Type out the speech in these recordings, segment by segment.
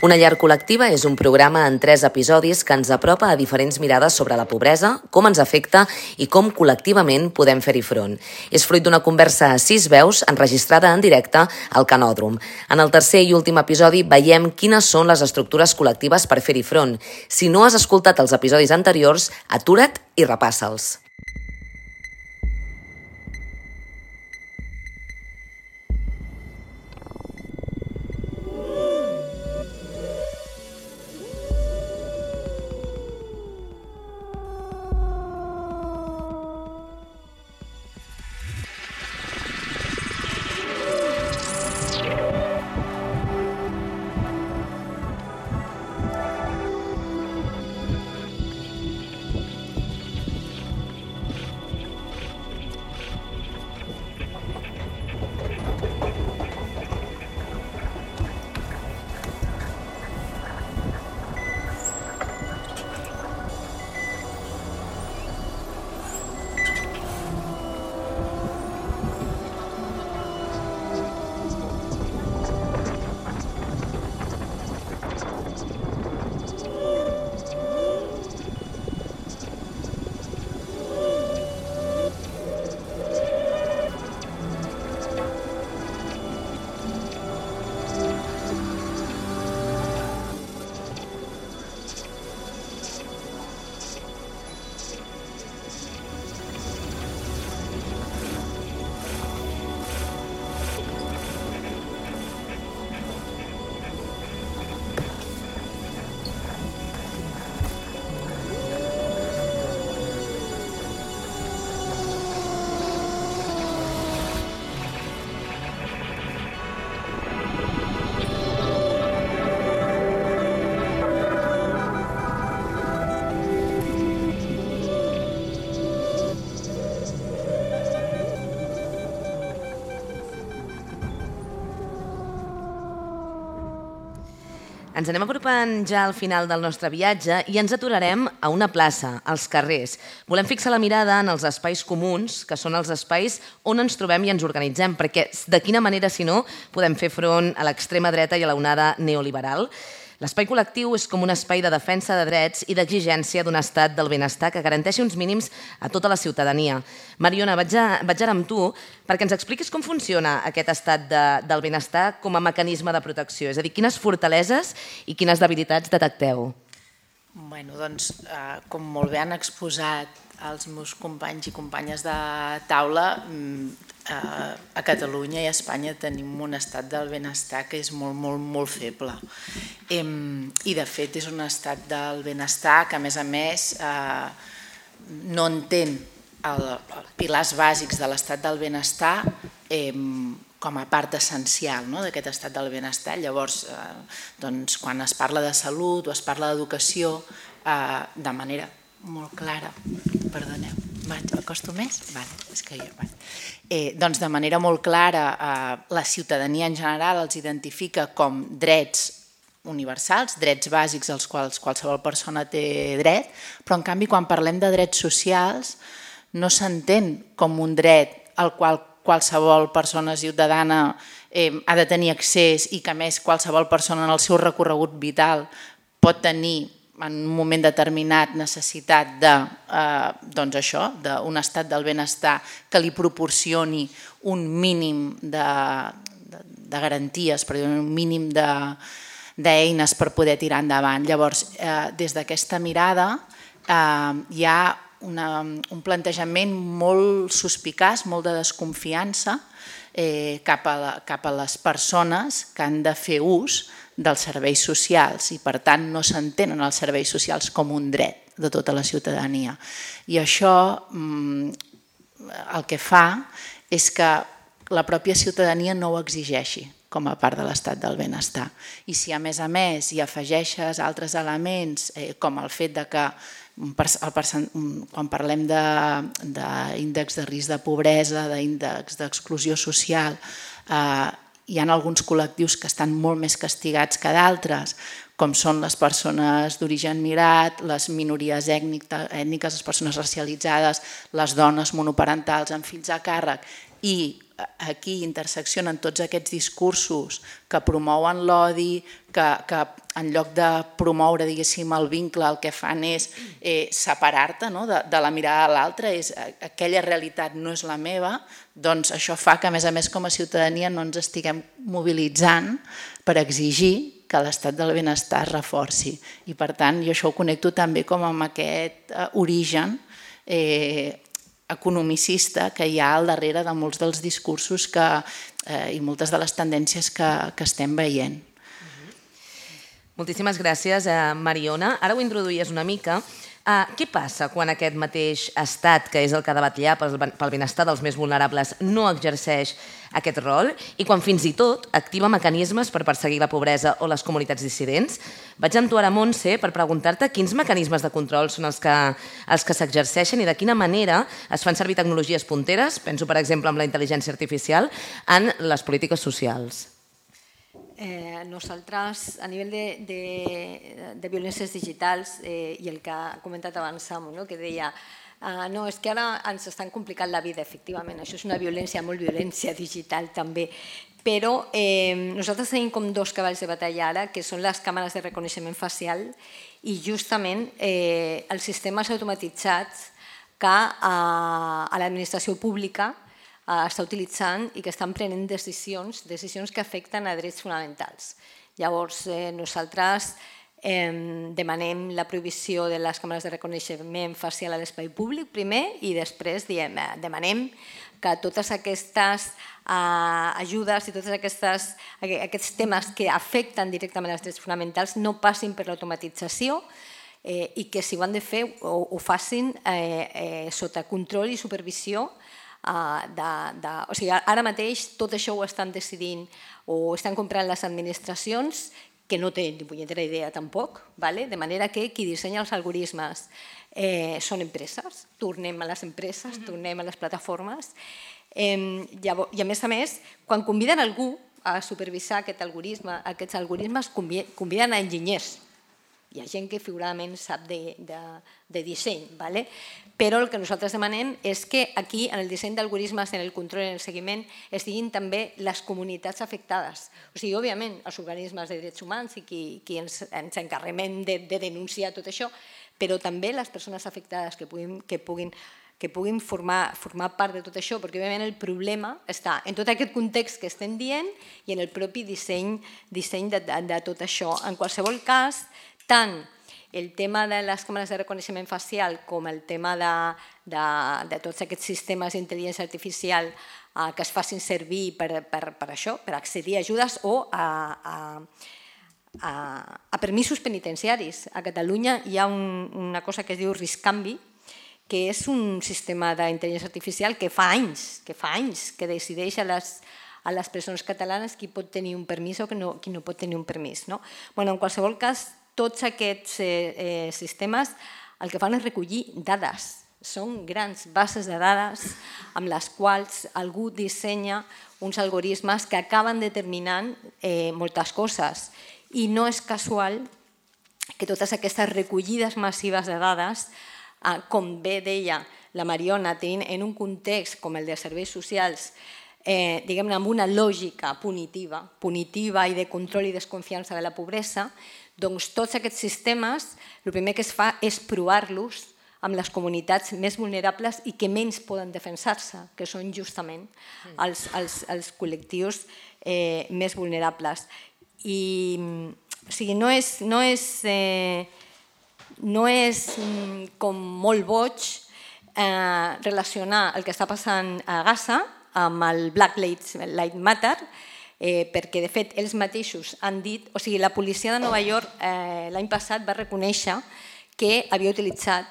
Una llar col·lectiva és un programa en 3 episodis que ens apropa a diferents mirades sobre la pobresa, com ens afecta i com col·lectivament podem fer-hi front. És fruit d'una conversa a 6 veus enregistrada en directe al Canòdrom. En el tercer i últim episodi veiem quines són les estructures col·lectives per fer-hi front. Si no has escoltat els episodis anteriors, atura't i repassa'ls. Ens anem apropant ja al final del nostre viatge i ens aturarem a una plaça, als carrers. Volem fixar la mirada en els espais comuns, que són els espais on ens trobem i ens organitzem, perquè de quina manera, si no, podem fer front a l'extrema dreta i a l'onada neoliberal. L'espai col·lectiu és com un espai de defensa de drets i d'exigència d'un estat del benestar que garanteixi uns mínims a tota la ciutadania. Mariona, vaig ara amb tu perquè ens expliquis com funciona aquest estat del benestar com a mecanisme de protecció. És a dir, quines fortaleses i quines debilitats detecteu? Doncs, com molt bé han exposat els meus companys i companyes de taula, a Catalunya i a Espanya tenim un estat del benestar que és molt, molt, molt feble. I de fet és un estat del benestar que a més no entén els pilars bàsics de l'estat del benestar com a part essencial d'aquest estat del benestar. Llavors, quan es parla de salut o es parla d'educació de manera molt clara, perdoneu, m'acosto més? És que jo... Doncs de manera molt clara la ciutadania en general els identifica com drets universals, drets bàsics als quals qualsevol persona té dret, però en canvi quan parlem de drets socials no s'entén com un dret al qual qualsevol persona ciutadana ha de tenir accés i que a més qualsevol persona en el seu recorregut vital pot tenir en un moment determinat necessitat d'un estat del benestar que li proporcioni un mínim de garanties, un mínim d'eines per poder tirar endavant. Llavors, des d'aquesta mirada hi ha un plantejament molt suspicaç, molt de desconfiança cap a les persones que han de fer ús dels serveis socials i per tant no s'entenen els serveis socials com un dret de tota la ciutadania. I això el que fa és que la pròpia ciutadania no ho exigeixi com a part de l'estat del benestar. I si a més hi afegeixes altres elements com el fet que quan parlem d'índex de risc de pobresa, d'índex d'exclusió social, hi ha alguns col·lectius que estan molt més castigats que d'altres, com són les persones d'origen migrat, les minories ètniques, les persones racialitzades, les dones monoparentals amb fills a càrrec i aquí interseccionen tots aquests discursos que promouen l'odi, que en lloc de promoure, diguéssim, el vincle, el que fan és separar-te de la mirada de l'altre, és aquella realitat no és la meva, doncs això fa que, a més, com a ciutadania no ens estiguem mobilitzant per exigir que l'estat del benestar es reforci. I, per tant, jo això ho connecto també com amb aquest origen economicista que hi ha al darrere de molts dels discursos i moltes de les tendències que estem veient. Moltíssimes gràcies, Mariona. Ara ho introduïes una mica. Què passa quan aquest mateix estat, que és el que ha de vetllar pel benestar dels més vulnerables, no exerceix aquest rol i quan fins i tot activa mecanismes per perseguir la pobresa o les comunitats dissidents? Vaig amb tu ara, Montse, per preguntar-te quins mecanismes de control són els que s'exerceixen i de quina manera es fan servir tecnologies punteres, penso per exemple en la intel·ligència artificial, en les polítiques socials. Nosaltres, a nivell de violències digitals, i el que ha comentat abans Samu, que deia no, és que ara ens estan complicant la vida, efectivament, això és una violència, molt violència digital també, però nosaltres tenim com dos cavalls de batalla ara, que són les càmeres de reconeixement facial i justament els sistemes automatitzats que a l'administració pública està utilitzant i que estan prenent decisions que afecten a drets fonamentals. Llavors, nosaltres demanem la prohibició de les càmeres de reconeixement facial a l'espai públic primer i després demanem que totes aquestes ajudes i tots aquests temes que afecten directament els drets fonamentals no passin per l'automatització i que si ho han de fer ho facin sota control i supervisió. O sigui, ara mateix tot això ho estan decidint o estan comprant les administracions que no tenen ni punyetera idea tampoc, de manera que qui dissenya els algoritmes són empreses, tornem a les empreses, tornem a les plataformes i a més, quan conviden algú a supervisar aquests algoritmes conviden a enginyers. Hi ha gent que figuradament sap de disseny, però el que nosaltres demanem és que aquí, en el disseny d'algoritmes, en el control i en el seguiment, estiguin també les comunitats afectades. O sigui, òbviament, els organismes de drets humans i qui ens encarreguem de denunciar tot això, però també les persones afectades que puguin formar part de tot això, perquè òbviament el problema està en tot aquest context que estem dient i en el propi disseny de tot això. En qualsevol cas, tant el tema de les càmeres de reconeixement facial com el tema de tots aquests sistemes d'intel·ligència artificial que es facin servir per això, per accedir a ajudes o a permisos penitenciaris. A Catalunya hi ha una cosa que es diu Riscanvi, que és un sistema d'intel·ligència artificial que fa anys que decideix a les presons catalanes qui pot tenir un permís o qui no pot tenir un permís. En qualsevol cas, tots aquests sistemes el que fan és recollir dades. Són grans bases de dades amb les quals algú dissenya uns algoritmes que acaben determinant moltes coses. I no és casual que totes aquestes recollides massives de dades, com bé deia la Mariona, tenint en un context com el de serveis socials, diguem-ne, amb una lògica punitiva i de control i desconfiança de la pobresa, doncs tots aquests sistemes, el primer que es fa és provar-los amb les comunitats més vulnerables i que menys poden defensar-se, que són justament els col·lectius més vulnerables. O sigui, no és com molt boig relacionar el que està passant a Gaza amb el Black Lives Matter, perquè de fet ells mateixos han dit, o sigui, la policia de Nova York l'any passat va reconèixer que havia utilitzat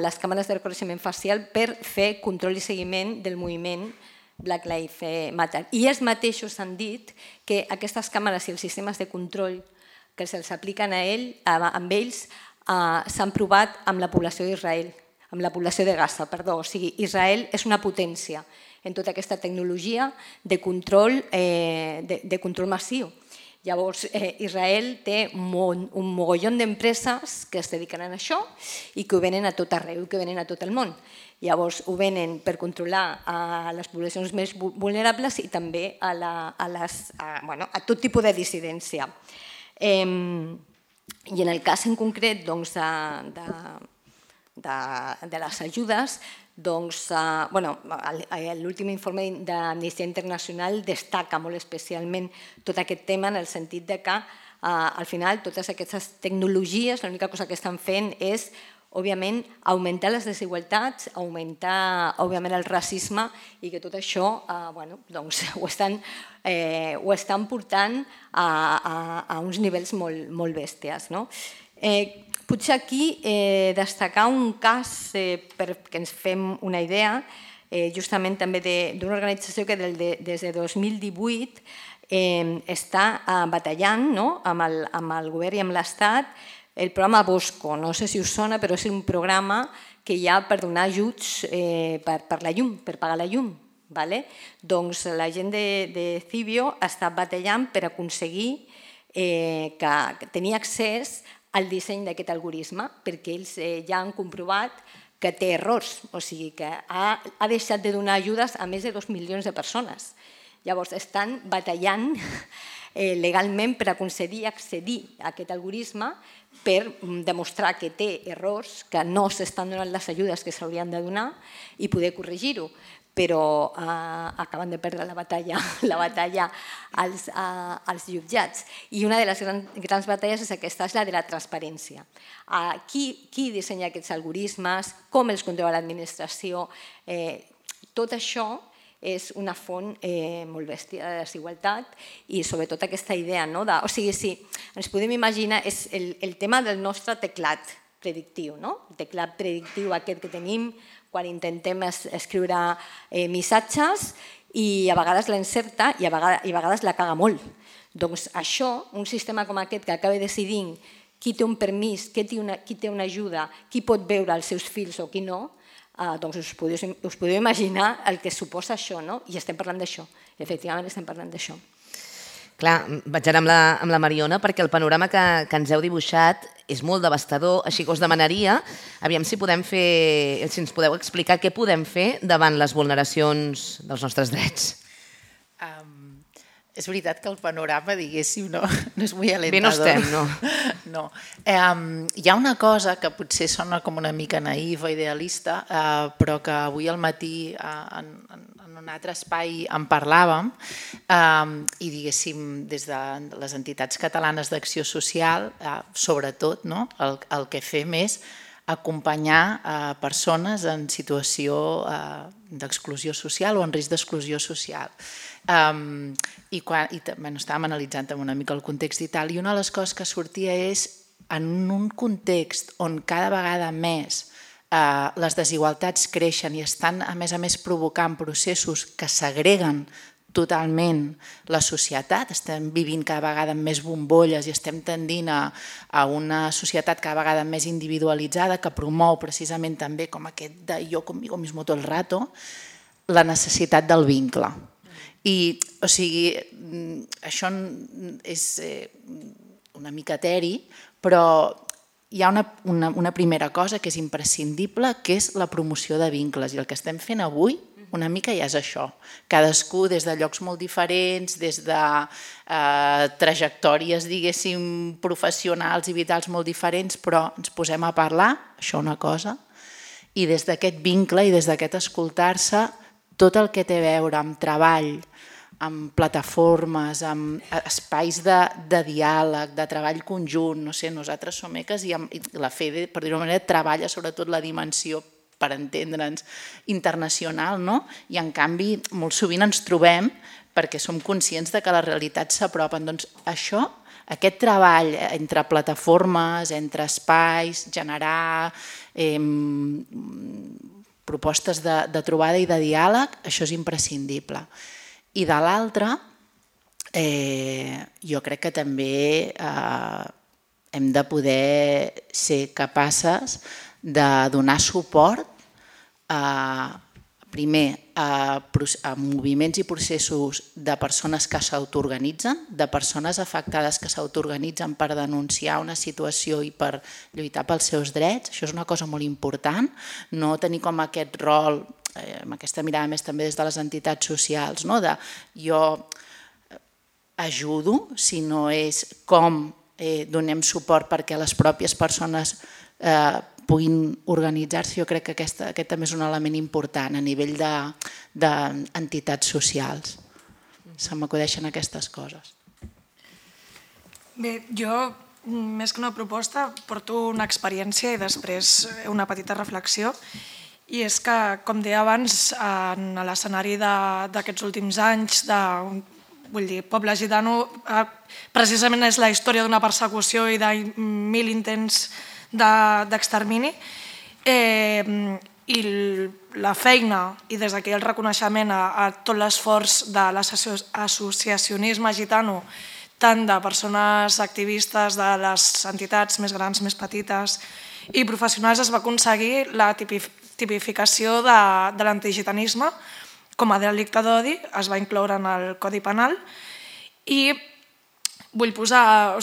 les càmeres de reconeixement facial per fer control i seguiment del moviment Black Lives Matter. I ells mateixos han dit que aquestes càmeres i els sistemes de control que se'ls apliquen amb ells s'han provat amb la població d'Israel, amb la població de Gaza, perdó. O sigui, Israel és una potència en tota aquesta tecnologia de control massiu. Llavors, Israel té un mogollon d'empreses que es dediquen a això i que ho venen a tot arreu, que venen a tot el món. Llavors, ho venen per controlar a les poblacions més vulnerables i també a tot tipus de dissidència. I en el cas en concret de les ajudes, l'últim informe d'Amnistia Internacional destaca molt especialment tot aquest tema en el sentit que al final totes aquestes tecnologies l'única cosa que estan fent és òbviament augmentar les desigualtats, augmentar òbviament el racisme i que tot això ho estan portant a uns nivells molt bèsties. Potser aquí destacar un cas perquè ens fem una idea, justament també d'una organització que des de 2018 està batallant amb el govern i amb l'Estat el programa Bosco. No sé si us sona, però és un programa que hi ha per donar ajuts per la llum, per pagar la llum. Doncs la gent de Civio està batallant per aconseguir tenir accés al disseny d'aquest algoritme, perquè ells ja han comprovat que té errors, o sigui que ha deixat de donar ajudes a més de 2 milions de persones. Llavors estan batallant legalment per aconseguir accedir a aquest algoritme per demostrar que té errors, que no s'estan donant les ajudes que s'haurien de donar i poder corregir-ho. Però acaben de perdre la batalla als jutjats. I una de les grans batalles és aquesta, és la de la transparència. Qui dissenya aquests algoritmes, com els controla l'administració, tot això és una font molt bèstia de desigualtat i sobretot aquesta idea, o sigui, si ens podem imaginar, és el tema del nostre teclat predictiu, el teclat predictiu aquest que tenim quan intentem escriure missatges i a vegades l'encerta i a vegades la caga molt. Doncs això, un sistema com aquest que acaba decidint qui té un permís, qui té una ajuda, qui pot veure els seus fills o qui no, doncs us podeu imaginar el que suposa això, i estem parlant d'això, efectivament estem parlant d'això. Clar, vaig anar amb la Mariona perquè el panorama que ens heu dibuixat és molt devastador, així que us demanaria, aviam si ens podeu explicar què podem fer davant les vulneracions dels nostres drets. És veritat que el panorama, diguéssim, no és molt alentador. Bé no estem, no? No. Hi ha una cosa que potser sona com una mica naïf o idealista, però que avui al matí en un altre espai en parlàvem i, diguéssim, des de les entitats catalanes d'acció social, sobretot, el que fem és acompanyar persones en situació d'exclusió social o en risc d'exclusió social. I estàvem analitzant també una mica el context i tal, i una de les coses que sortia és en un context on cada vegada més les desigualtats creixen i estan a més provocant processos que segreguen totalment la societat, estem vivint cada vegada amb més bombolles i estem tendint a una societat cada vegada més individualitzada que promou precisament també com aquest de jo conmigo mismo todo el rato, la necessitat del vincle. I, o sigui, això és una mica eteri, però hi ha una primera cosa que és imprescindible, que és la promoció de vincles. I el que estem fent avui una mica ja és això. Cadascú des de llocs molt diferents, des de trajectòries, diguéssim, professionals i vitals molt diferents, però ens posem a parlar, això una cosa, i des d'aquest vincle i des d'aquest escoltar-se, tot el que té a veure amb treball, amb plataformes, amb espais de diàleg, de treball conjunt, no sé, nosaltres som ECAs i la FEDE, per dir-ho d'una manera, treballa sobretot la dimensió, per entendre'ns, internacional, no? I en canvi molt sovint ens trobem perquè som conscients de que les realitats s'apropen. Doncs això, aquest treball entre plataformes, entre espais, generar propostes de trobada i de diàleg, això és imprescindible. I de l'altra, jo crec que també hem de poder ser capaces de donar suport primer, a moviments i processos de persones que s'autoorganitzen, de persones afectades que s'autoorganitzen per denunciar una situació i per lluitar pels seus drets. Això és una cosa molt important, no tenir com aquest rol, amb aquesta mirada més també des de les entitats socials, de jo ajudo, sinó és com donem suport perquè les pròpies persones puguin organitzar-se. Jo crec que aquest també és un element important a nivell d'entitats socials. Se m'acudeixen aquestes coses. Bé, jo, més que una proposta, porto una experiència i després una petita reflexió. I és que, com deia abans, en l'escenari d'aquests últims anys, vull dir, Poble Gitano, precisament és la història d'una persecució i de 1000 intents d'extermini, i la feina i des d'aquí el reconeixement a tot l'esforç de l'associacionisme gitano, tant de persones activistes de les entitats més grans, més petites i professionals, es va aconseguir la tipificació de l'antigitanisme com a delicte d'odi, es va incloure en el Codi Penal i vull posar,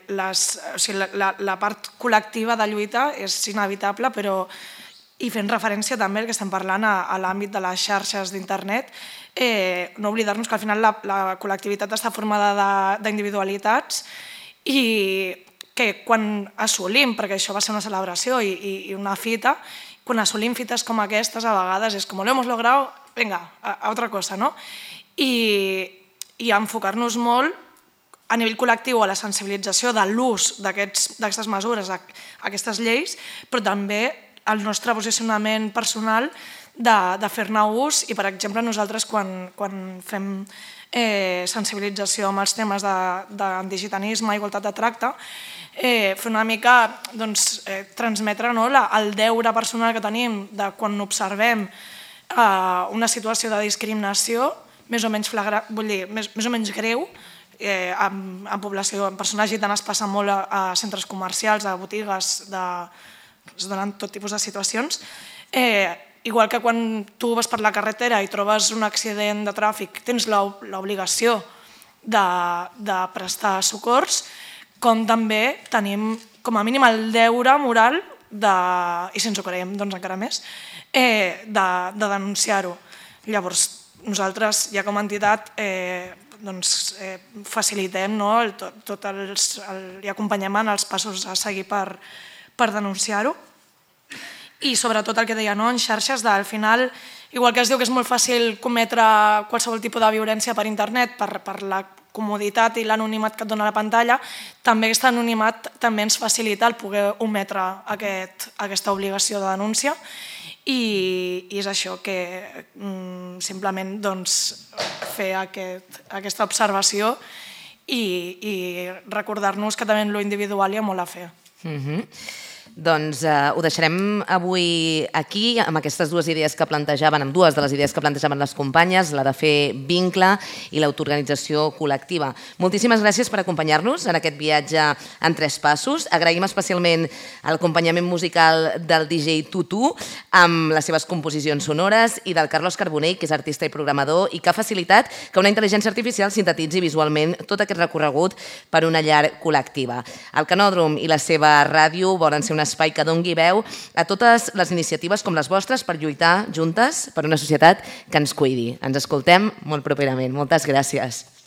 la part col·lectiva de lluita és inevitable, però i fent referència també al que estem parlant a l'àmbit de les xarxes d'internet, no oblidar-nos que al final la col·lectivitat està formada d'individualitats i que quan assolim, perquè això va ser una celebració i una fita, quan assolim fites com aquestes a vegades és com lo hemos logrado, venga, a otra cosa, no? I enfocar-nos molt a nivell col·lectiu a la sensibilització de l'ús d'aquestes mesures, aquestes lleis, però també el nostre posicionament personal de fer-ne ús i, per exemple, nosaltres quan fem sensibilització amb els temes d'antigitanisme, igualtat de tracte, fer una mica transmetre el deure personal que tenim de quan observem una situació de discriminació més o menys flagrant, vull dir, més o menys greu, en població, en persones gitanes passa molt a centres comercials, a botigues, es donen tot tipus de situacions. Igual que quan tu vas per la carretera i trobes un accident de tràfic, tens l'obligació de prestar socors, com també tenim com a mínim el deure moral, i si ens ho creiem doncs encara més, de denunciar-ho. Llavors, nosaltres ja com a entitat facilitem i acompanyem en els passos a seguir per denunciar-ho. I sobretot el que deia, en xarxes, al final, igual que es diu que és molt fàcil cometre qualsevol tipus de violència per internet per la comoditat i l'anonimat que et dona la pantalla, també aquest anonimat també ens facilita el poder ometre aquesta obligació de denúncia. I és això, que simplement fer aquesta observació i recordar-nos que també en lo individual hi ha molt a fer. Doncs ho deixarem avui aquí, amb aquestes dues idees que plantejaven, amb dues de les idees que plantejaven les companyes, la de fer vincle i l'autoorganització col·lectiva. Moltíssimes gràcies per acompanyar-nos en aquest viatge en 3 passos. Agraïm especialment l'acompanyament musical del DJ Tutu amb les seves composicions sonores i del Carlos Carbonell, que és artista i programador i que ha facilitat que una intel·ligència artificial sintetitzi visualment tot aquest recorregut per una llar col·lectiva. El Canòdrom i la seva ràdio volen ser un espai que doni veu a totes les iniciatives com les vostres per lluitar juntes per una societat que ens cuidi. Ens escoltem molt properament. Moltes gràcies.